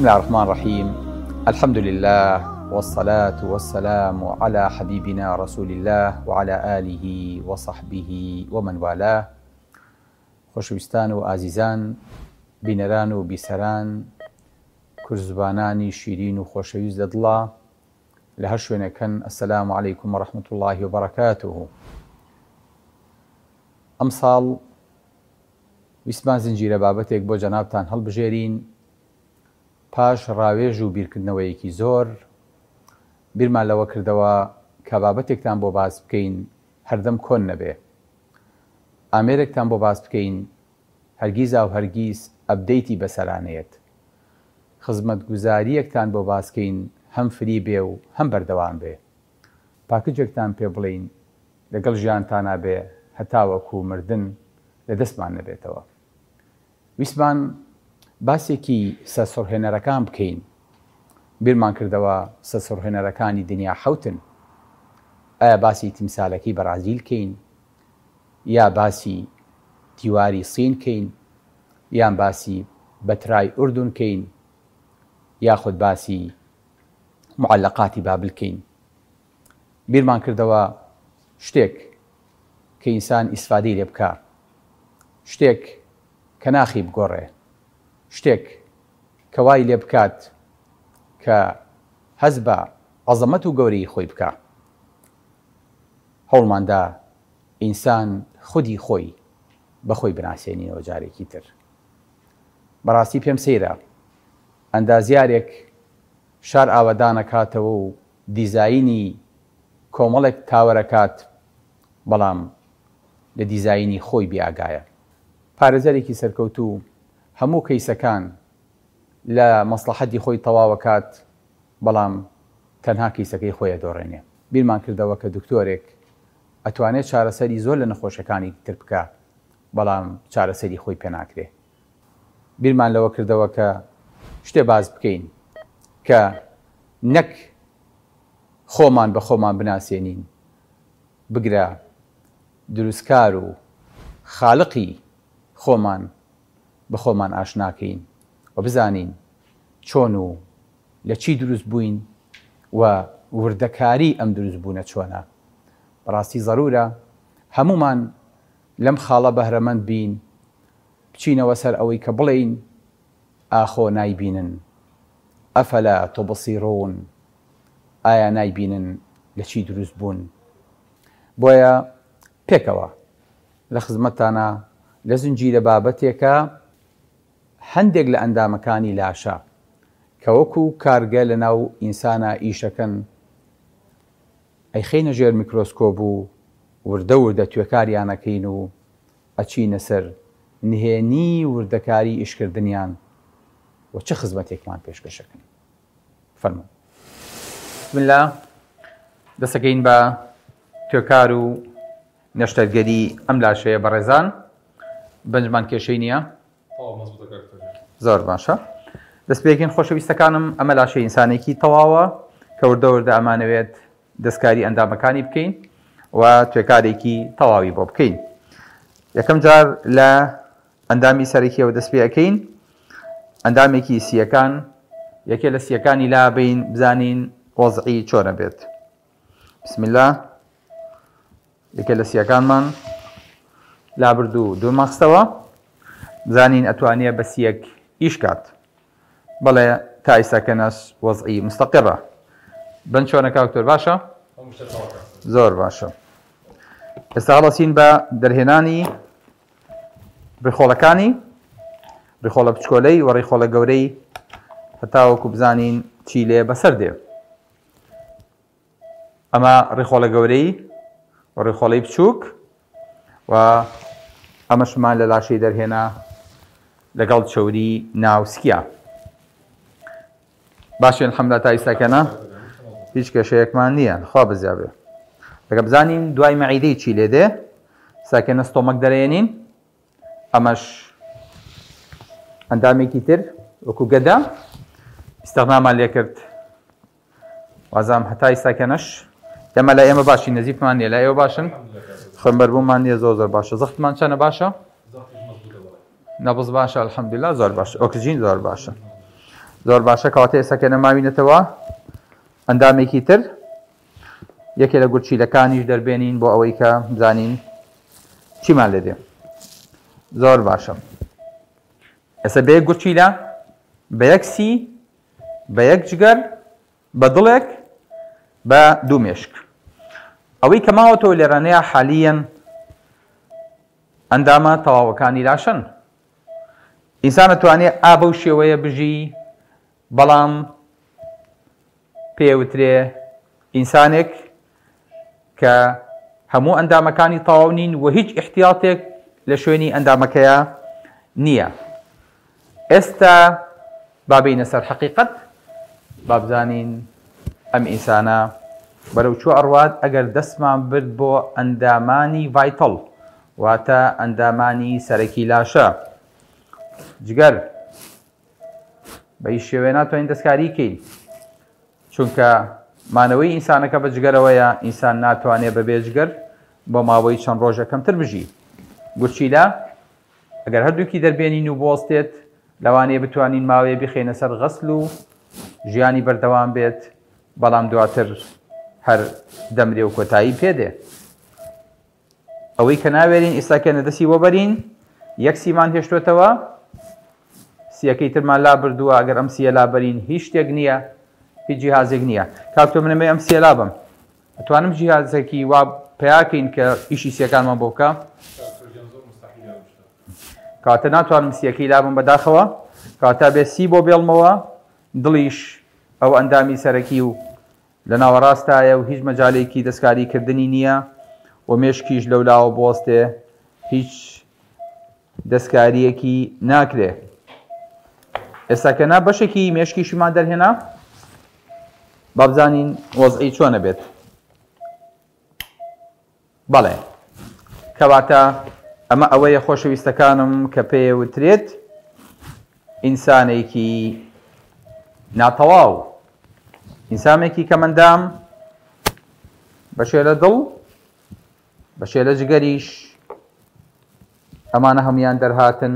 بسم الله الرحمن الرحیم الحمد لله والصلاة والسلام على حبیبنا رسول الله وعلى آله وصحبه ومن والاه. خۆشەویستان و ئازیزان، بینەران و بیسەران، کوردزبانانی شیرین و خۆشەویست لە دڵا لە هەر شوێنێک هەن، السلام علیکم و رحمة اللە و برکاته. ئەمساڵ ویستمان زنجیرە بابەتێک بۆ جەنابتان هەڵبژێرین، پاش ڕاوێژ و بیرکردنەوەیەکی زۆر بیرمان لەوە کردەوە کە بابەتێکتان بۆ باس بکەین هەردەم کۆن نەبێ، ئامێرێکتان بۆ باس بکەین هەرگیزاو هەرگیز ئەپدەیتی بەسەرا نەیەت، خزمەتگوزارییەکتان بۆ باس کەین هەم فری بێ و هەم بەردەوام بێ، پاکجێکتان پێ بڵێین لەگەڵ ژیانتانا بێ هەتاوەکو مردن لە دەستمان نەبێتەوە. ویستمان باسێکی سەرسوڕهێنەرەکان بکەین، بیرمان کردەوە سەرسوڕهێنەرەکانی دنیا حەوتن. ئایا باسی تیمسالەکەی بەرازیل کەین یا باسی دیواری سین کەین یان باسی بەترای ئوردون کەین یاخود باسی معەلەقاتی بابل کەین. بیرمان کردەوە شتێک کە ئینسان ئیسفادەی لێ بکا، شتێک کە ناخی بگۆڕێ، شتێک کە وای لێ بکات کە هەست بە عەزەمەت و گەورەیی خۆی بکا. هەوڵمان دا ئینسان خودی خۆی بە خۆی بناسێنینەوە جارێکی تر. بەڕاستی پێم سەیرە ئەندازیارێک شار ئاوەدان ئەکاتەوە و دیزاینی کۆمەڵێک تاوەر ئەکات بەڵام لە دیزاینی خۆی بێ ئاگایە. پارێزەرێکی سەرکەوتوو هەموو کەیسەکان لە مەسڵەحەتی خۆی تەواو ئەکات بەڵام تەنها کەیسەکەی خۆی ئەدۆڕێنێ. بیرمان کردەوە کە دکتۆرێک ئەتوانێ چارەسەری زۆر لە نەخۆشەکانی تر بکا بەڵام چارەسەری خۆی پێناکرێ. بیرمان لەوە کردەوە کە شتێ باس بکەین کە نەک خۆمان بە خۆمان بناسێنین، بگرە دروستکار و خالقی خۆمان بە خۆمان ئاشناکەین و بزانین چۆن و لە چی دروست بووین و وردەکاری ئەم دروستبوونە چۆنە. بەڕاستی زەرورە هەموومان لەم خاڵە بەهرەمەند بین، بچینەوە سەر ئەوەی کە بڵێین ئاخۆ نایبینن، افلا تبصرون، ئایا نایبینن لە چی دروست بوون؟ بۆیە پێکەوە لە خزمەتتانا لە زنجیرە بابەتێکە هەندێک لە ئەندامەکانی لاشە کە وەکو کارگە لە ناو ئینسانا ئیشەکەن ئەیخەینە ژێر میکرۆسکۆب و وردە وردە توێکاریان ئەکەین و ئەچینە سەر نهێنی وردەکاری ئیشکردنیان و چ خزمەتێکمان پێشکەشەکەن. فەرموون. بسم اللە دەسەکەین بە توێکار و نەشتەرگەری ئەم لاشەیە بەڕێزان بەنجمان کێشەی نییە زۆر باشە دەست پێکەین خۆشەویستەکانم ئەمە لاشەی ئینسانێکی تەواوە کە وردە وردە ئەمانەوێت دەستکاری ئەندامەکانی بکەین و توێکارێکی تەواوی بۆ بکەین یەکەم جار لە ئەندامی سەرەکیەوە دەست پێ ئەکەین ئەندامێکی سیەکان یەکێ لە سیەکانی لابین بزانین وەزعی چۆنە بێت بسم الله یەکێ لە سیەکانمان لابرد و دوورمان خستەوە بزانین ئەتوانێ بە سیەک ئیش کات بەڵێ تا ئیستا کەنەس وەزعی مستەقڕە بن چۆنە کاک دکتۆر باشە زۆر باشە ئێستا هەڵەسین بە دەرهێنانی ڕیخۆڵەکانی ڕیخۆڵە بچکۆلەی و ڕیخۆڵە گەورەی هەتاوەکو بزانین چی لێ بەسەر دێ ئەمە ڕیخۆڵە گەورەی و ڕیخۆڵەی بچووک و ئەمەشمان لە لاشەی دەرهێنا لەگەڵ چەوری ناوسکیا باشین الحمدلله تا ئیستاکەنا هیچ کێشەیەکمان نییە خوا بزیا بێ لەگە بزانین دوای مەعیدەی چی لێ دێ ساکەنە ستۆمەک دەرێنین ئەمەش ئەندامێکی تر وەکو گەدە ئیستغنامان لێکرد وازام هەتا ئیستا کەنەش ئێمە لە ئێمە باشی نەزیفمان نیە لە ئێوە باشن خوێنبەربوومان نیە زۆر زۆر باشە زەختمان چەنە باشە نەبز باشە الحەمدلله زۆر باش ئۆکسجین زۆر باشە. زۆر باشە کەواتە ئێستا کە نەماوینەتەوە ئەندامێکی تر یەکێ لە گورچیلەکانیش دەربێنین بۆ ئەوەی کە بزانین چیمان لێ دێ زۆر باشە ئێستا بە یەک گورچیلە بە یەک سی بە یەک جگەر بە دڵێک بە دوو مێشک ئەوەی کە ماوەتەوە لێرانەیە حالیەن ئەندامە تەواوەکانی لاشەن ئینسان ئەتوانێ ئا بەو شێوەیە بژی بەڵام پێوترێ ئینسانێک کە هەموو ئەندامەکانی تەواو نین و هیچ احتیاطێک لە شوێنی ئەندامەکەیە نییە. ئێستا با بێینە سەر حەقیقەت، با بزانین ئەم ئینسانە بەرەو کوێ ئەڕوات ئەگەر دەستمان برد بۆ ئەندامانی vital واتە ئەندامانی سەرەکی لاشە، جگەر، بە هیچ شێوەیە ناتوانین دەستکاری کەین چونکە مانەوەی ئینسانەکە بە جگەرەوەیە ئینسان ناتوانێت بەبێ جگەر بۆ ماوەی چەند ڕۆژە کەمتر بژی گورچیلە ئەگەر هەردووکی دەربێنین و بوەستێت لەوانەیە بتوانین ماوەیە بخەینە سەر غەسل و ژیانی بەردەوام بێت بەڵام دواتر هەر دەمرێ و کۆتایی پێدێ ئەوەی کە ناوێرین ئیستا کێنە دەستی بۆ بەرین یەک سیمان هێشتوێتەوە سیەکەی ترمان لا بردووە ئەگەر ئەم سیە لا بەرین هیچ شتێک نییە هیچ جیهازێک نییە کاک تۆ منەمەی ئەم سیە لا بم ئەتوانم جیهازێکی وا پیاکەین کە ئیشی سیەکانمان بۆ بکە کاتە ناتوانم سیەکەی لابم بەداخەوە کاتە بێ سی بۆ بێڵمەوە دڵیش ئەو ئەندامی سەرەکی و لە ناوەڕاستایە و هیچ مەجالێکی دەستکاری کردنی نییە و مێشکیش لەولاوە بوەستێ هیچ دەستکارییەکی ناکرێ. ئێستا کە نا بەشێکی مێشکیشیمان دەرهێنا با بزانین وەزعی چۆنە بێت. بەڵێ کەواتە ئەمە ئەوەیە خۆشەویستەکانم کە پێیەوترێت ئینسانێکی ناتەواو ئینسامێکی کەمەندام بەشێ لە دڵ بەشێ لە جگەریش ئەمانە هەموویان دەرهاتن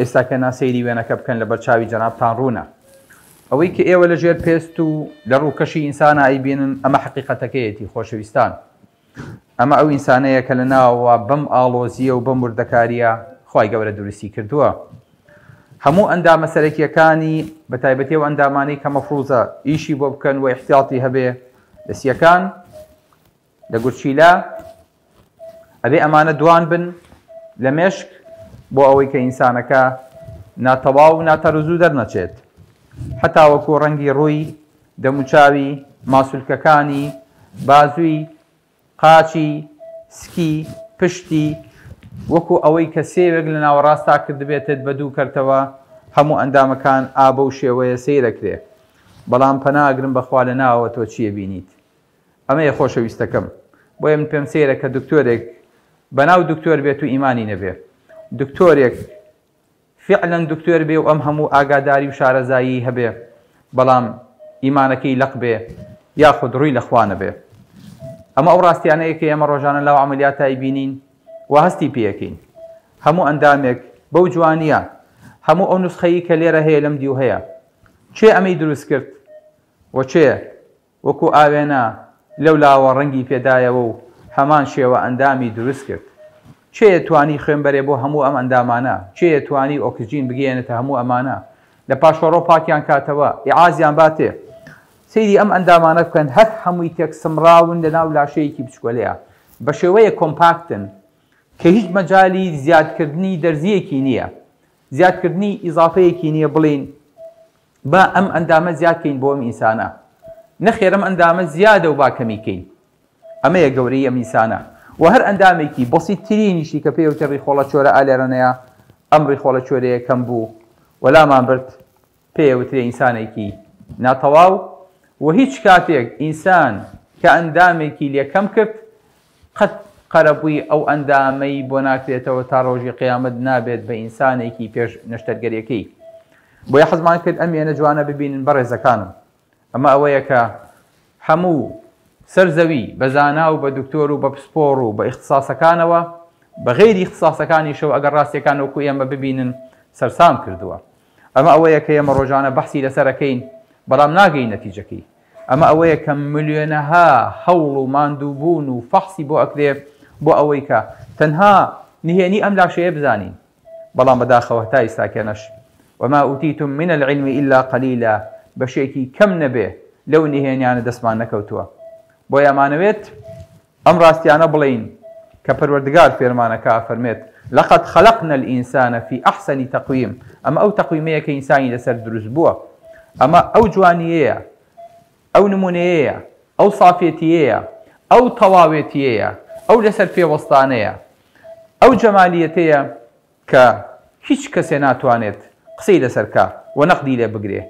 ئێستا کە نا سەیری وێنەکە بکەن لەبەر چاوی جەنابتان ڕوونە ئەوەی کە ئێوە لە ژێر پێست و لە ڕووکەشی ئینسانە ئەیبینن ئەمە حەقیقەتەکەیەتی خۆشەویستان ئەمە ئەو ئینسانەیە کە لە ناوەوە بەم ئاڵۆزییە و بەم وردەکارییە خوای گەورە دروستی کردووە هەموو ئەندامە سەرەکیەکانی بە تایبەتی ئەو ئەندامانەی کە مەفروزە ئیشی بۆ بکەن و ئیحتیاتی هەبێ لە سیەکان لە گورچیلە ئەبێ ئەمانە دوان بن لە مێشک بۆ ئەوەی کە ئینسانەکە ناتەواو و ناتەرزوو دەرنەچێت هەتاوەکو ڕەنگی ڕووی دەموچاوی ماسولکەکانی بازووی قاچی سکی پشتی وەکو ئەوەی کە سێوێک لە ناوەڕاستا کردبێتت بە دوو کەرتەوە هەموو ئەندامەکان ئا بەو شێوەیە سەیرەکرێ بەڵام پەنا ئەگرم بەخوا لە ناوەوە تۆ چییە بینیت ئەمەیە خۆشەویستەکەم بۆیە من پێم سەیرە کە دکتۆرێک بەناو دکتۆر بێت و ئیمانی نەبێ دکتۆرێک فعلا دکتۆر بێ و ئەم هەموو ئاگاداری و شارەزایی هەبێ بەڵام ئیمانەکەی لەق بێ یاخود ڕووی لە خوا نەبێ ئەمە ئەو ڕاستیانەیە کە ئێمە ڕۆژانە لاو عملیاتای بینین و هەستی پێەکەین هەموو ئەندامێک بەو جوانیە هەموو ئەو نوسخەیی کە لێرە هەیە لەم دیو هەیە کێ ئەمەی دروست کرد و کێ وەکو ئاوێنە لەو لاوە ڕەنگی پێدایەوە و هەمان شێوە ئەندامی دروست کرد. کێیە توانی خوێن بەرێ بۆ هەموو ئەم ئەندامانە؟ کێیە توانی ئۆکسجین بگەیەنێتە هەموو ئەمانە؟ لە پاشەڕۆ پاکیان کاتەوە، ئیعازیان باتێ. سەیری ئەم ئەندامانە بکەن هەر هەمووی تێکسمڕاون لە ناو لاشەیەکی بچکۆلەیا. بە شێوەیەک کۆمپاکتن کە هیچ مەجالی زیادکردنی دەرزییەکی نییە. زیادکردنی ئیزافەیەکی نییە بڵێین با ئەم ئەندامە زیاد کەین بۆ ئەم ئینسانە نەخێر ئەم ئەندامە زیادە و با کەمی کەین ئەمەیە گەورەی ئەم ئینسانە و هەر ئەندامێکی بەسیتترینیشی کە پێی وتێ ڕیخۆڵە چۆرە ئالێرەنەیە ئەم ڕیخۆڵە چۆرەیە کەم بوو وەلامان برد پێی وترێ ئینسانێکی ناتەواو و هیچ کاتێک ئینسان کە ئەندامێکی لێ کەم کرد قەت قەرەبووی ئەو ئەندامەی بۆ ناکرێتەوە تا ڕۆژی قیامەت نابێت بە ئینسانێکی پێش نەشتەرگەریەکەی بۆیە حەزمان کرد ئەم وێنە جوانە ببینن بەڕێزەکانم ئەمە ئەوەیە کە هەموو سەر زەوی بە زانا و بە دکتۆر و بە پسپۆڕ و بە ئیختساسەکانەوە بە غەیری ئیختساسەکانیشەوە ئەگەر ڕاستیەکان وەکو ئێمە ببینن سەرسام کردووە. ئەمە ئەوەیە کە ئێمە ڕۆژانە بەحسی لەسەر ئەکەین بەڵام ناگەین نەتیجەکەی. ئەمە ئەوەیە کە ملیۆنەها هەوڵ و ماندووبوون و فەحسی بۆ ئەکرێ بۆ ئەوەی کە تەنها نهێنی ئەم لاشەیە بزانین. بەڵام بەداخەوە هەتا ئیستاکێنەش وما اوتیتم من العلم الا قلیلا بەشێکی کەم نەبێ لەو نهێنیانە دەستمان نەکەوتووە. بۆیە ئەمانەوێت ئەم ڕاستیانە بڵێین کە پەروەردگار فێرمانەکا ئەفەرمێت، لقد خلقنا الانسان فی احسن تقویم، ئەمە ئەو تەقویمەیە کە ئینسانی لەسەر دروست بووە، ئەمە ئەو جوانییەیە، ئەو نمونەیەیە، ئەو سافێتییەیە، ئەو تەواوێتییەیە، ئەو لەسەر پێ وەستانەیە، ئەو جەمالیەتەیە کە هیچ کەسێ ناتوانێت قسەی لەسەر کا و نەقدی لێ بگرێ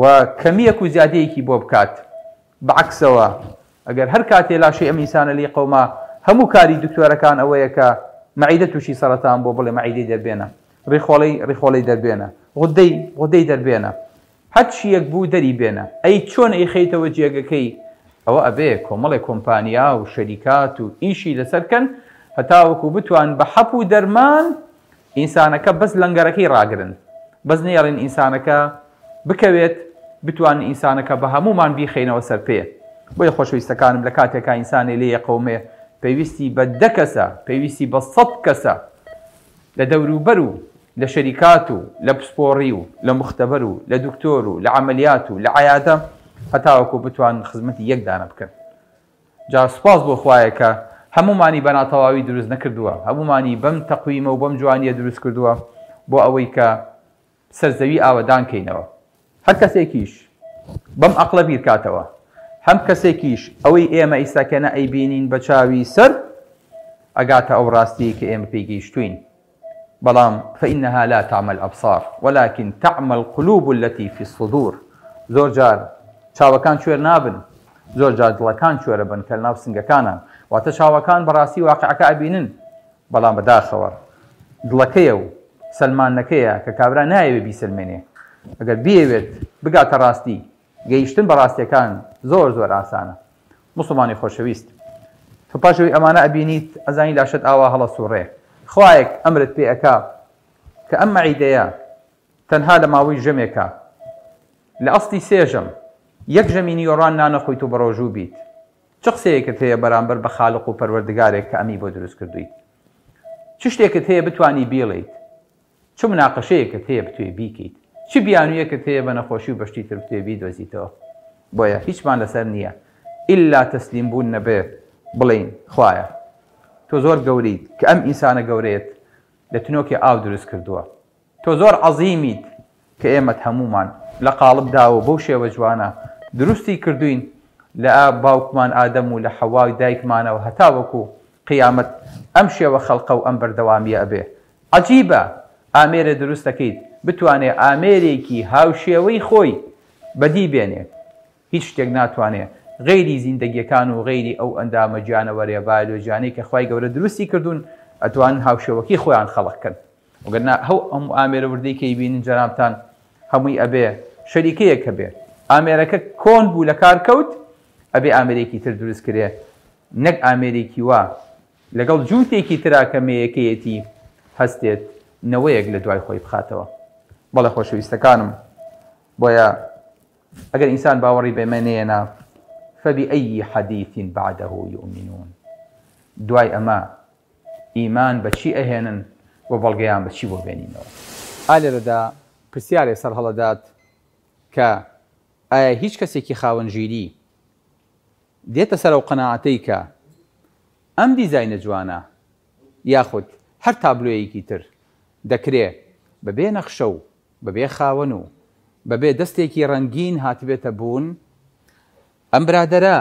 و کەمییەک و زیادەیەکی بۆ بکات، بە عەکسەوە ئەگەر هەر کاتێ لاشەی ئەم ئینسانە لێی قەوما هەموو کاری دکتۆرەکان ئەوەیە کە مەعیدە تووشی سەرەتان بووە بڵێ مەعیدەی دەربێنە، ڕیخۆڵەی ڕیخۆڵەی دەربێنە، غودەی غودەی دەربێنە، هەرچییەک بوو دەری بێنە، ئەی چۆن ئەیخەیتەوە جێگەکەی، ئەوە ئەبێ کۆمەڵێ کۆمپانیا و شەریکات و ئیشی لەسەر کەن هەتاوەکو بتوان بە حەپ و دەرمان ئینسانەکە بەس لەنگەرەکەی ڕاگرن بەس نەیەڵین ئینسانەکە بکەوێت بتوانن ئینسانەکە بە هەموومان بیخەینەوە سەر پێ بۆیە خۆشەویستەکانم لە کاتێکا ئینسانێ لێ یەقەومێ پێویستی بە دە کەسە پێویستی بە سەد کەسە لە دەوروبەر و لە شەریکات و لە پسپۆڕی و لە موختەبەر و لە دکتۆر و لە عەمەلیات و لە عەیادە هەتاوەکو بتوانن خزمەتی یەک دانە بکەن. جا سوپاس بۆ خوایە کە هەموومانی بە ناتەواوی دروست نەکردووە، هەموومانی بەم تەقویمە و بەم جوانییە دروست کردووە بۆ ئەوەی کە سەر زەوی ئاوەدان کەینەوە. هەر کەسێکیش بەم ئەقڵە بیرکاتەوە، هەم کەسێکیش ئەوەی ئێمە ئیستا کە نە ئەیبینین بە چاوی سەر، ئەگاتە ئەو ڕاستیەی کە ئێمە پێی گەیشتووین. بەڵام فإنها لا تعمى الأبصار ولكن تعمى القلوب التي في الصدور زۆر جار چاوەکان کوێر نابن، زۆر جار دڵەکان کوێرەبن کە لەناو سنگەکانان، واتە چاوەکان بەڕاستی واقعەکە ئەبینن، بەڵام بەداخەوە دڵەکەیە و سەلماندنەکەیە کە کابرا نایەوێت بیسەلمێنێ، ئەگەر بیەوێت بگاتە ڕاستی، گەیشتن بە ڕاستیەکان زۆر زۆر ئاسانە. موسڵمانی خۆشەویست تۆ پاش ئەوەی ئەمانە ئەبینیت ئەزانی لاشەت ئاوا هەڵەسوڕێ، خوایەک ئەمرت پێ ئەکا کە ئەم مەعیدەیە تەنها لە ماوەی ژەمێکا لە ئەسڵی سێ ژەم یەک ژەمی نیۆڕان نانەخۆیت و بەڕۆژوو بیت، چ قسەیەکت هەیە بەرامبەر بە خالق و پەروەردگارێک کە ئەمی بۆ دروست کردوویت؟ چ شتێکت هەیە بتوانی بیڵێیت؟ چ مناقەشەیەکت هەیە بتوێ بیکەیت؟ چ بیانوویەکت هەیە بە نەخۆشی و بە شتی تر بتوێ بیدۆزیتەوە؟ بۆیە هیچمان لەسەر نییە ئیلا تەسلیم بوون نەبێ بڵێین خوایە تۆ زۆر گەورەیت کە ئەم ئینسانە گەورەیەت لە تنۆکێ ئاو دروست کردووە تۆ زۆر عەزیمیت کە ئێمەت هەموومان لە قاڵب داوە و بەو شێوە جوانە دروستی کردووین لە باوکمان ئادەم و لە حەوای دایکمانەوە هەتاوەکو قیامەت ئەم شێوە خەڵقە و ئەم بەردەوامییە ئەبێ. عەجیبە ئامێرێ دروست دەکەیت بتوانێ ئامێرێکی هاوشێوەی خۆی بەدی بێنێ هیچ شتێک ناتوانێ غەیری زیندەگیەکان و غەیری ئەو ئەندامە گیانەوەرە بایۆلۆجیانەی کە خوای گەورە دروستی کردوون ئەتوانن هاوشێوەکەی خۆیان خەڵق کەن وگەر نا ئەو هەموو ئامێرە وردەی کە ئەیبینن جەنابتان هەمووی ئەبێ شەریکەیەک هەبێ ئامێرەکە کۆن بوو لەکار کەوت ئەبێ ئامێرێکی تر دروست کرێ نەک ئامێرێکی وا لەگەڵ جووتێکی ترا کە مێیەکەیەتی هەستێت نەوەیەک لە دوای خۆی بخاتەوە بەڵێ خۆشەویستەکانم بۆیە ئەگەر ئینسان باوەڕی بەمە نەیەنا فبأي حدیث بعده یؤمنون دوای ئەمە ئیمان بە چی ئەهێنن و بەڵگەیان بە چی بۆ بێنینەوە؟ ئا لێرەدا پرسیارێ سەرهەڵەدات کە ئایا هیچ کەسێکی خاوەن ژیری دێتە سەر ئەو قەناعەتەی کە ئەم دیزاینە جوانە یاخود هەر تابلۆیەکی تر دەکرێ بەبێ نەخشە و بەبێ خاوەن و بەبێ دەستێکی ڕەنگین هاتبێتە بوون، ئەم برادەرە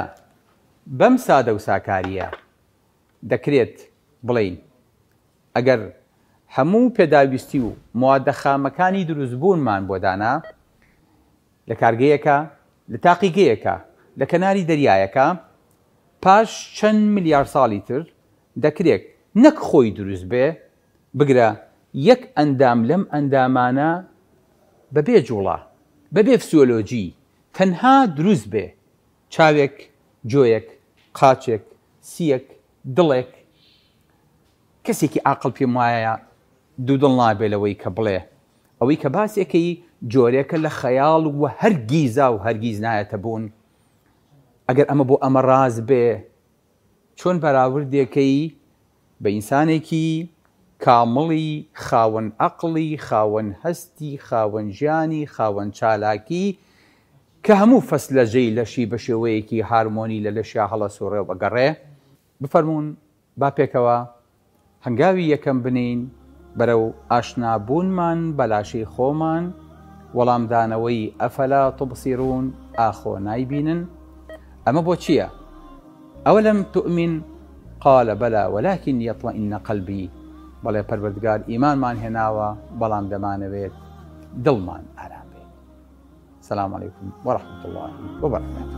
بەم سادە و ساکارییە دەکرێت بڵێین ئەگەر هەموو پێداویستی و موادە خامەکانی دروستبوونمان بۆ دانا لە کارگەیەکا، لە تاقیگەیەکا، لە کەناری دەریایەکا، پاش چەند ملیار ساڵی تر دەکرێت نەک خۆی دروست بێ، بگرە یەک ئەندام لەم ئەندامانە بەبێ جوڵە، بەبێ فسیۆلۆجی تەنها دروست بێ، چاوێک، گۆیەک، قاچێک، سییەک، دڵێک، کەسێکی ئاقڵ پێم وایە دوودڵ نابێ لەوەی کە بڵێ. ئەوەی کە باسێکەی جۆرێکە لە خەیاڵ و هەرگیزا و هەرگیز نایەتە بوون. ئەگەر ئەمە بۆ ئەمە ڕاست بێ چۆن بەراوردێکەی بە ئینسانێکی کامڵی خاوەن ئەقڵی خاوەن هەستی خاوەن ژیانی خاوەن چالاکی کە هەموو فەسلەجەی لەشی بە شێوەیەکی هارمۆنی لە لەشیا هەڵەسوڕێ و ئەگەڕێ بفەرموون با پێکەوە هەنگاوی یەکەم بنێین بەرەو ئاشنابوونمان بە لاشەی خۆمان، وەڵامدانەوەی افلا تبصرون ئاخۆ نایبینن؟ ئەمە بۆ چییە؟ اولم تؤمن قال بلی ولکن لیطمئن قلبی بەڵێ پەروەردگار ئیمانمان هێناوە بەڵام دەمانەوێت دڵمان ئارام بێت. السلام علیکم ورحمة اللە وبرکاته.